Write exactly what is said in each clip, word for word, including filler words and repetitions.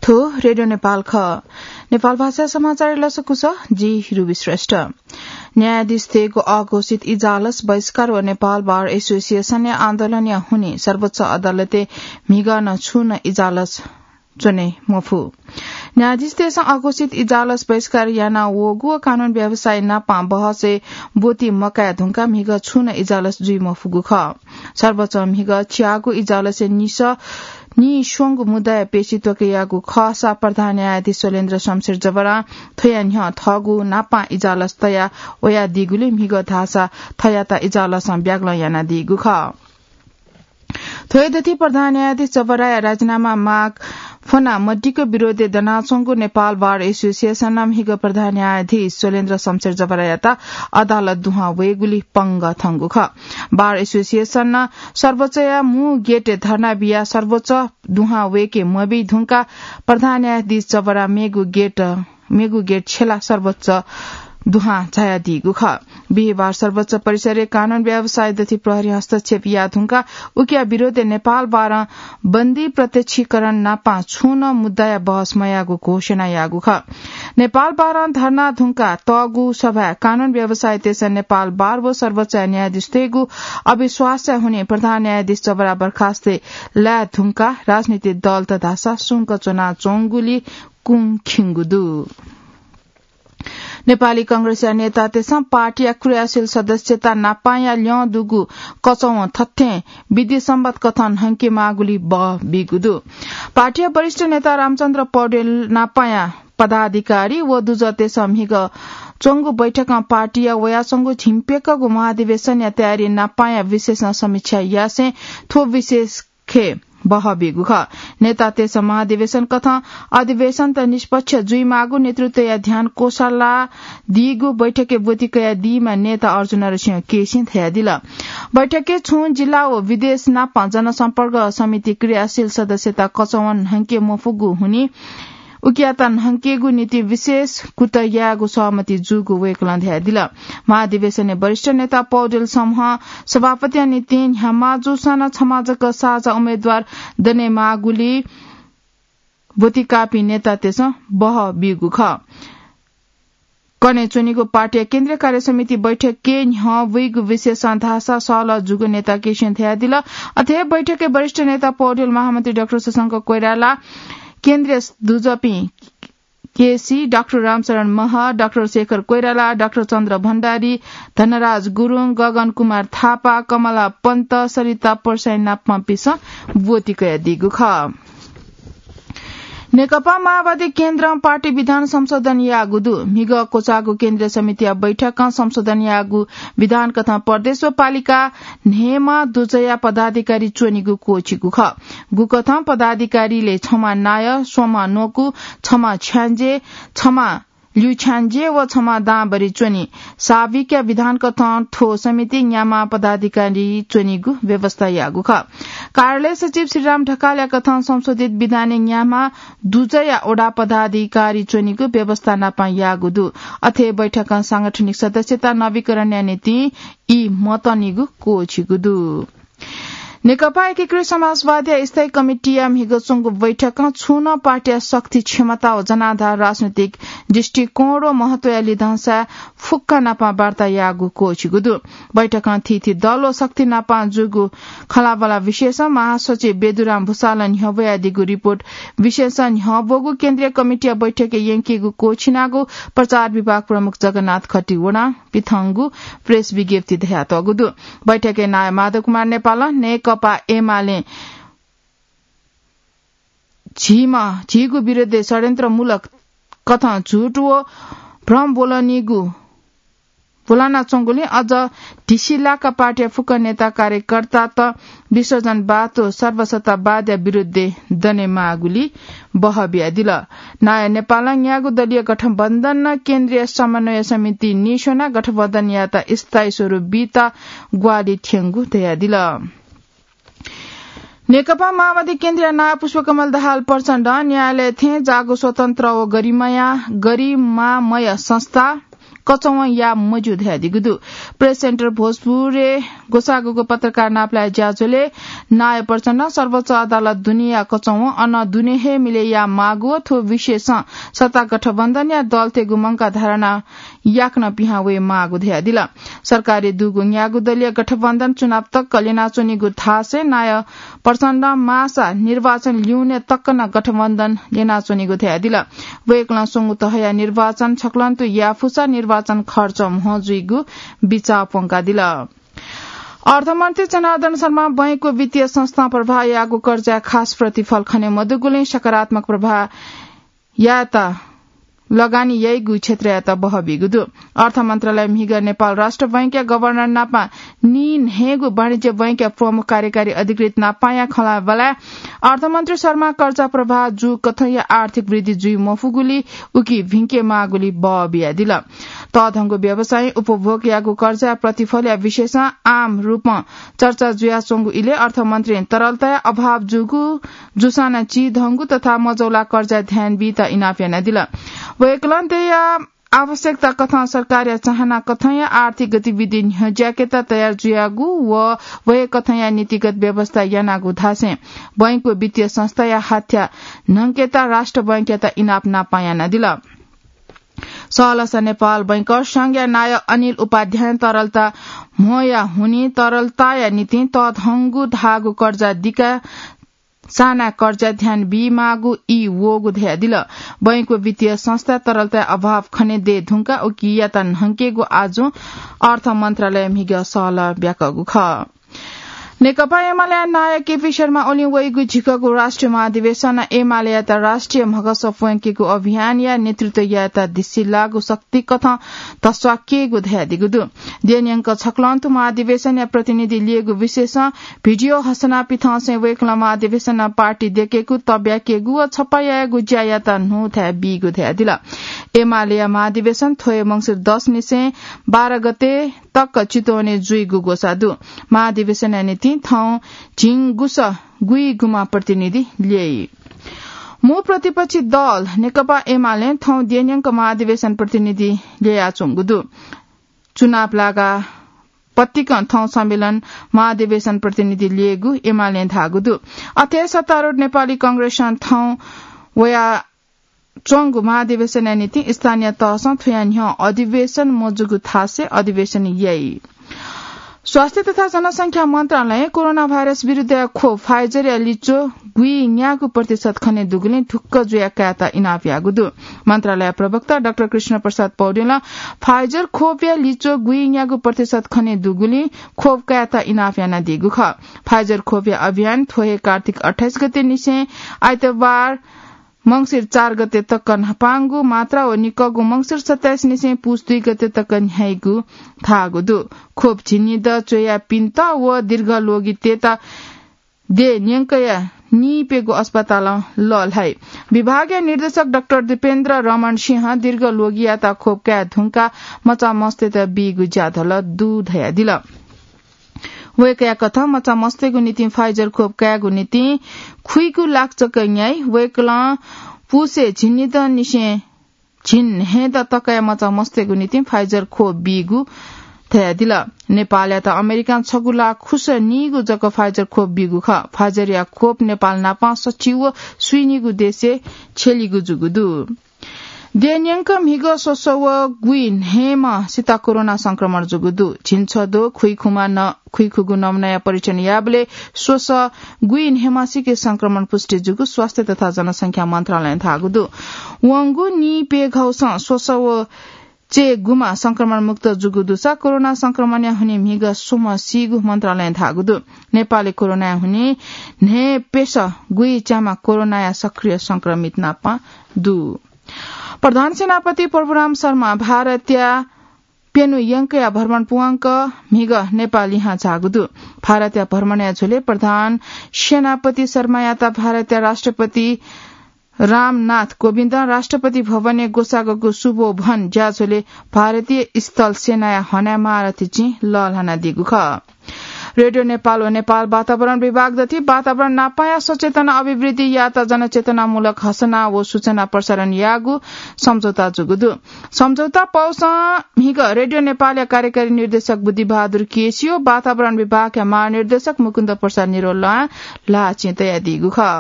थ्व रेडियो नेपाल खः। नेपाल भाषा समाचार लसकुस, जि रुबी श्रेष्ठ। न्यायाधीशतय्गु अघोषित इजालस बहिष्कार व नेपाल बार एसोसिएसनया आन्दोलनया हुनिं सर्वोच्च अदालतय् म्हिगः नं छुं नं इजालस च्वने मफु। न्यायाधीशतय्सं अघोषित इजालस बहिष्कार याना वःगु व कानून व्यवसायी नापां बहसय् ब्वति मकाये धुंकाः म्हिगः छुं नं इजालस जुइ मफुगु खः। सर्वोच्चं म्हिगः च्याःगु इजालसय् निस निस्वंगु मुद्दाया पेशी त्वकेयाःगु खःसा प्रधान न्यायाधीश शैलेन्द्र शमशेर जबरां थ्वया न्ह्यः थःगु नापां इजालस तया वयादीगुलिं म्हिगः धाःसा थःयात इजालसं ब्यागलं यानादीगु खः। थ्व हे दथि प्रधान न्यायाधीश जबराया राजीनामा माग फ्वना मदिक्क विरोधय् दनाच्वंगु नेपाल बार एसोसिएसनं म्हिगः प्रधान न्यायाधीश शैलेन्द्र शमशेर जबरायात अदालत दुहां वयेगुली पंगः थंगु खः। बार एसोसिएसनं सर्वोच्चया मू गेटय् धर्ना बियाः सर्वोच्च दुहां वयेके मबी धुंकाः प्रधान न्यायाधीश जबरा मेगु गेट मेगु गेट छ्यलाः सर्वोच्च दुहां झायादीगु खः। बिहिबार सर्वोच्च परिसरय् कानून व्यवसायी दथि प्रहरी हस्तक्षेप याः धुंकाः उकिया विरोधय् नेपाल बारं बन्दी प्रत्यक्षीकरण नापां छुं नं मुद्दाया बहस मयाःगु घोषणा याःगु खः। नेपाल बारं धर्ना धुंकाः तःगु सभाय् कानून व्यवसायीतय्सं नेपाल बार व सर्वोच्च न्यायाधीशतय्गु अविश्वासया हुनिं प्रधान न्यायाधीश जबरा बर्खास्त लाये धुंकाः राजनीतिक दलत धाःसा सुंक च्वनाच्वंगुली कुं खिंगु दु। नेपाली कांग्रेसया नेतातय्सं पार्टीया क्रियाशील सदस्यता नापांया ल्यं दुगु कचवं थथें विधि सम्बत कथं न्हंके माःगुली बहः बीगु दु। पार्टीया वरिष्ठ नेता रामचन्द्र पौडेल नापांया पदाधिकारी व दुजःतय्सं म्हिगः च्वंगु बैठकं पार्टीया वयाच्वंगु झिंप्यक्कःगु महाधिवेशनया तयारी नापांया विषयसं समीक्षा यासें थ्व विषय खँय् बहः बीगु खः। नेतातय्सं महाधिवेशन कथं अधिवेशनत निष्पक्ष जुइमाःगु नेतृत्वया ध्यान क्वसालादीगु बैठकय् ब्वति कयादीम्ह नेता अर्जुन नरसिंह केसीं धयादिल। बैठकय् छुं जिल्ला व विदेश नाप जनसम्पर्क समिति क्रियाशील सदस्यता कचवं न्हंके मफुगु हुनिं उकियात न्हंकेगु निंतिं विशेष कुतः यायेगु सहमति जूगु वय्कलं धयादिल। महाधिवेशनय् वरिष्ठ नेता पौडेल समूह सभापतिया निंतिं न्ह्याम्ह जूसां नं छम्ह जक साझा उम्मेदवार दनेमाःगुली ब्वति काःपिं नेतातय्सं बहः बीगु खः। कन्हय् च्वनीगु पार्टीया केन्द्रीय कार्यसमिति बैठकय् न्ह्यः वइगु विषयसं धाःसा सहलह जूगु नेता केसीं धयादिल। अथे हे बैठकय् वरिष्ठ नेता पौडेल, महामन्त्री डाक्टर शशांक कोइराला, केन्द्रीय दुजःपिं केसी, डाक्टर रामशरण महर्जन, डाक्टर शेखर कोइराला, डाक्टर चन्द्र भण्डारी, धनराज गुरुङ, गगन कुमार थापा, कमला पन्त, सरिता परसाई नापंपिन्सं ब्वति कयादीगु खः। नेकपा माओवादी केन्द्रं पार्टी विधान संशोधन याःगु दु। म्हिगः क्वचाःगु केन्द्रीय समितिया बैठकं संशोधन याःगु विधान कथं प्रदेश व पालिका न्हय्म्ह दुजःया पदाधिकारी च्वनीगु क्वःछिगु खः। गुकथं पदाधिकारीलय् छम्ह नायः, स्वम्ह न्वकू, छम्ह छ्याञ्जे, छम्ह ल्यूछ्याञ्जे व छम्ह दांभरि च्वनी। साविकया विधान कथं थ्व समितिइ न्याम्ह पदाधिकारी च्वनीगु व्यवस्था याःगु खः। कार्यालय सचिव श्रीराम ढकालया कथं संशोधित विधानय् न्याम्ह दुजःया वडा पदाधिकारी च्वनीगु व्यवस्था नापं याःगु दु। अथे बैठकं सांगठनिक सदस्यता नवीकरणया निंतिं ई मतनीगु क्वःछिगु दु। नेकपा एकीकृत समाजवादीया स्थायी कमिटीया म्हिगः च्वंगु बैठकं छुं नं पार्टीया शक्ति, क्षमता व जनाधार, राजनैतिक दृष्टिकोण व महत्वया लिधंसाय् फुक्क नापं वार्ता याःगु क्वःछिगु दु। बैठकं थीथी दल व शक्ति नापं जूगु खँल्हाबल्हा विषयसं महासचिव बेदुराम भुसालं न्ह्यब्वयादीगु रिपोर्ट विषयसं न्ह्यब्वःगु केन्द्रीय कमिटीया बैठकय् यंकीगु क्वःछिनागु प्रचार विभाग प्रमुख जगन्नाथ खतिवडां पिथंगु प्रेस विज्ञप्ति धयातःगु दु। बैठकय् नायः माधव कुमार नेपालं नेकपा एमालें झीम्ह, झीगु विरुद्धय् षड्यन्त्रमूलक कथं झुठ व भ्रम ब्वलनीगु, ब्वलनाच्वंगुलिं अझ ढिसिलाक पार्टीया फुक्क नेता कार्यकर्तात विसर्जनवाद व सर्वसत्तावादया विरुद्धय् दनेमाःगुली बहः बियादिल। नायः नेपालं न्यागू दलीय गठबन्धनं केन्द्रीय समन्वय समिति निस्वनाः गठबन्धनयात स्थायी स्वरूप बीत ग्वाहालि थ्यंगु धयादिल। नेकपा माओवादी केन्द्रीय नायः पुष्पकमल दाहाल प्रचण्डं न्यायालय थें जाःगु स्वतन्त्र व गरिमाया, गरिमामय संस्था कचौवं याये मज्यू धयादीगु दु। प्रेस सेन्टर भोजपुरय् ग्वसाःगु पत्रकार नापलाये ज्याझ्वलय् नायः प्रचण्डं सर्वोच्च अदालत दुनेया कचौवं अन दुने हे मिले याये माःगु व थ्व विषयसं सत्ता गठबन्धनया दलतय्गु मंकाः धारणा याकनं पिहां वये माःगु धयादिल। सरकारय् दुगु न्यागू दलीय गठबन्धन चुनाव तक ल्यनाच्वनीगु धासें नायः प्रचण्डं माःसा निर्वाचन ल्यूने तक नं गठबन्धन ल्यनाच्वनीगु धयादिल। वय्कलं स्वंगू तहया निर्वाचन छकलंतु याये फुसा निर्वाचन खर्च म्हो जुइगु बिचाः प्वंकादिल। अर्थमन्त्री जनार्दन शर्मां बैंकको वित्तीय संस्थां प्रवाह याःगु कर्जाय् खास प्रतिफल खने मदुगुलिं सकारात्मक प्रवाह यायेत लगानी याइगु क्षेत्रयात बहः बीगु दु। अर्थ मन्त्रालय म्हिगः नेपाल राष्ट्र बैंकया गभर्नर नापं नीन्हय्गू वाणिज्य बैंकया प्रमुख कार्यकारी अधिकृत नापंया खँल्हाबल्हाय् अर्थमन्त्री शर्मां कर्जा प्रवाह जूकथंया आर्थिक वृद्धि जुइ मफुगुली उकी भिंके माःगुली बः बियादिल। तःधंगु व्यवसायी उपभोगयागु कर्जा प्रतिफलया विषयसं आम रूपं चर्चा जुयाच्वंगु इलय् अर्थमन्त्रीं तरलताया अभाव जूगु जूसां नं चिधंगु तथा मजौला कर्जाय् ध्यान बीत इनाप यानादिल। वय्कलं दया आवश्यकता कथं सरकारया चाहना कथंया आर्थिक गतिविधि न्ह्यज्याकेत तयार जुयागु व वहे कथंया नीतिगत व्यवस्था यानागु धासें बैंकको वित्तीय संस्थाया हाथ्या न्हंकेत राष्ट्र बैंकयात इनाप नापं यानादिल। सहलसा नेपाल बैंकर्स संघया नायः अनिल उपाध्यायं तरलता म्होया हुनिं तरलताया निंतिं तःधंगु धाःगु कर्जा दिका साना कर्जा ध्यान बीमाःगु ई वःगु धयादिल। बैंकको वित्तीय संस्था तरलताया अभाव खने दये धुंकाः उकियात न्हंकेगु आजुं अर्थ मन्त्रालय म्हिगः सहलह ब्याकःगु खः। नेकपा एमालेया नायः केपी शर्मा ओलीं वइगु झिकःगु राष्ट्रिय महाधिवेशन एमालेयात राष्ट्रिय म्हगस प्वंकेगु अभियानया नेतृत्व यायेत दिसिलाःगु शक्ति कथं धस्वाकेगु धयादीगु दु। देन्यंक छकलंतु महाधिवेशनया प्रतिनिधि लिएको विषयसं भिडियो हसना पिथंसें वय्कलं महाधिवेशनं पार्टी देकेगु, तब्याकेगु व छप्पा यायेगु ज्यायात न्हूथाय् बीगु धयादिल। एमालेया महाधिवेशन थ्व हे मंसिर दस निसें बाह्र गते तक चितवनय् जुइगु ग्वसाः दु। महाधिवेशनया निंतिं थौं झिंगुस गुइगुमा प्रतिनिधि ल्यइ। मू प्रतिपक्षी दल नेकपा एमालें थौं देन्यंक महाधिवेशन प्रतिनिधि ल्ययाच्वंगु दु। चुनाव लागा पतिकं थौं सम्मेलन महाधिवेशन प्रतिनिधि ल्ययेगु एमालें धाःगु दु। अथे सत्तारूढ नेपाली कांग्रेसं थौं वया च्वंगु महाधिवेशनया निंतिं स्थानीय तहसं थुया न्ह्यः अधिवेशन मजूगु थासय् अधिवेशन याइ। स्वास्थ्य तथा जनसंख्या मन्त्रालयं कोरोना भाइरस विरुद्धया खोप Pfizer-या लिच्वः गुइन्यागू प्रतिशत खने दुगुलिं ढुक्क जुयाः कायेत इनाप याःगु दु। मन्त्रालय प्रवक्ता डाक्टर कृष्ण प्रसाद पौडेलं Pfizer खोपया लिच्वः गुइन्यागू प्रतिशत खने दुगुलिं खोप कायेत इनाप यानादीगु खः। Pfizer खोपया अभियान थ्व हे कार्तिक अट्ठाइस गते निसें आइतबार मंसिर चार गते तक न्हापांगु मात्रा व निकःगु मंसिर सत्ताइस निसें पुस दुई गते तक न्ह्याइगु धाःगु दु। खोप झिंनिदँ च्वयापिन्त व दीर्घ ल्वगितय्त देन्यंकया नीप्यघौ अस्पतालं लःल्हाइ। विभागया निर्देशक डाक्टर दीपेन्द्र रमण सिंहं दीर्घ ल्वगियात खोप काये धुंकाः मचा मस्तय्त बीगु ज्याझ्वः दु धयादिल। वय्कःया कथं मचा मस्तय्गु निंतिं Pfizer खोप कायेगु निंतिं खुइगु लाख जक न्ह्याइ। वय्कलं पुसय् झिंनिदँनिसें झिंन्हय्दँ तकया मचा मस्तय्गु निंतिं Pfizer खोप बीगु धयादिल। नेपालयात अमेरिकां छगू लाख खुस नीगू जक Pfizer खोप बीगु खः। Pfizer-या खोप नेपाल नापं सच्छि व स्वीनिगू देशय् छ्यलीगु जूगु दु। देन्यंक म्हिगः स्वसः व गुइन्हय्म्ह सित कोरोना संक्रमण जूगु दु। झिंछद्वः खुइखुमा न-, खुइखुगू नमुनाया परीक्षण याःबलय् स्वसः गुइन्हय्म्हसिके संक्रमण पुष्टि जूगु स्वास्थ्य तथा जनसंख्या मन्त्रालयं धाःगु दु। वंगु नीप्यघौसं स्वसः व चय्गुम्ह संक्रमण मुक्त जूगु दुसा कोरोना संक्रमणया हुनिं म्हिगः स्वम्ह सीगु मन्त्रालयं धाःगु दु। नेपालय् कोरोनाया हुनिं न्हय्प्यसः गुइच्याम्ह कोरोनाया सक्रिय संक्रमित नापं दु। प्रधान सेनापति प्रभुराम शर्मा भारतया प्यन्हु यंकया भ्रमण पूवंक म्हिगः नेपाः लिहां झाःगु दु। भारतया भ्रमणया झ्वलय् प्रधान सेनापति शर्मायात भारतया राष्ट्रपति रामनाथ कोविन्दं राष्ट्रपति भवनय् ग्वसाःगु शुभोभन ज्याझ्वलय् भारतीय स्थल सेनाया हनाय् महारथी चिं लःल्हानादीगु खः। रेडियो नेपाल व नेपाल वातावरण विभाग दथि वातावरण नापाया सचेतना अभिवृद्धि यात जनचेतनामूलक घोषणा व सूचना प्रसारण यागु सम्झौता जुगु दु। सम्झौता पौसं हिग रेडियो नेपालया कार्यकारी निर्देशक बुद्धिबहादुर केसी व वातावरण विभागया महानिर्देशक मुकुन्द प्रसाद निरोल ला चिं तयादीगु खः।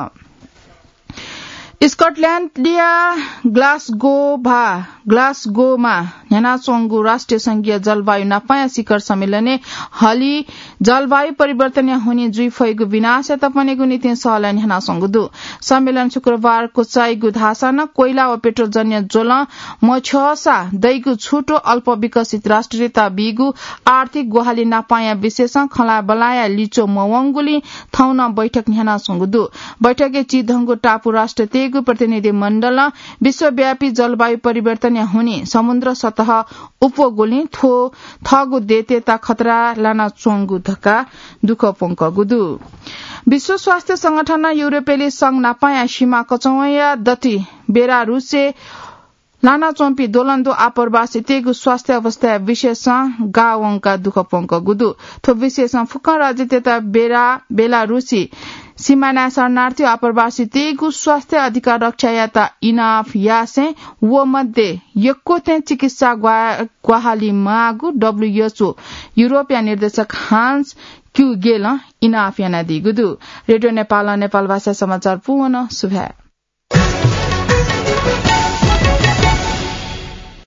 स्कटल्याण्डया ग्लासगो भा ग्लासगोमा न्ह्यानाच्वंगु राष्ट्रिय संघीय जलवायु नापाया शिखर सम्मेलनय् हलि जलवायु परिवर्तनया हुनिं जुइफइगु विनाशयात पनेगु निंतिं सहलह न्ह्यानाच्वंगु दु। सम्मेलन शुक्रबार क्वचाइगु धाःसां नं कोइला व पेट्रोलजन्य ज्वलं मछ्यःसा दइगु छुटो अल्प विकसित राष्ट्रियता बीगु आर्थिक ग्वाहालि नापाया विषयसं खँल्हाबल्हाया लिच्वः मवंगुलिं थौं नं बैठक न्ह्यानाच्वंगु दु। बैठकय् चिधंगु टापु राष्ट्रतय्गु प्रतिनिधि मण्डलं विश्वव्यापी जलवायु परिवर्तनया हुनिं समुद्र सतह उप्वःगुलिं थ्व थःगु देय्‌तय्‌त खतरा लानाच्वंगु धकाः दुःख प्वंकःगु दु। विश्व स्वास्थ्य संगठनं युरोपेली संघ नापाया सीमा कचवंया दथि बेलारुसय् लानाच्वंपिं द्वलंद्वः आप्रवासीतय्गु स्वास्थ्य अवस्थाया विषयसं गाः वंकाः दुःख प्वंकःगु दु। थ्व विषयसं फुक्कं राज्यतय्त बेला-, बेलारुसी सीमानाय् शरणार्थी व आप्रवासीतय्गु स्वास्थ्य अधिकार रक्षा यायेत इनाप यासें व मध्ये यक्व थें चिकित्सा ग्वा-, ग्वाहालि माःगु डब्ल्यूएचओ युरोपया निर्देशक हान्स क्युगेलं इनाप यानादीगु दु। रेडियो नेपालं नेपाल भाषा समाचार पूवन सुभाय्।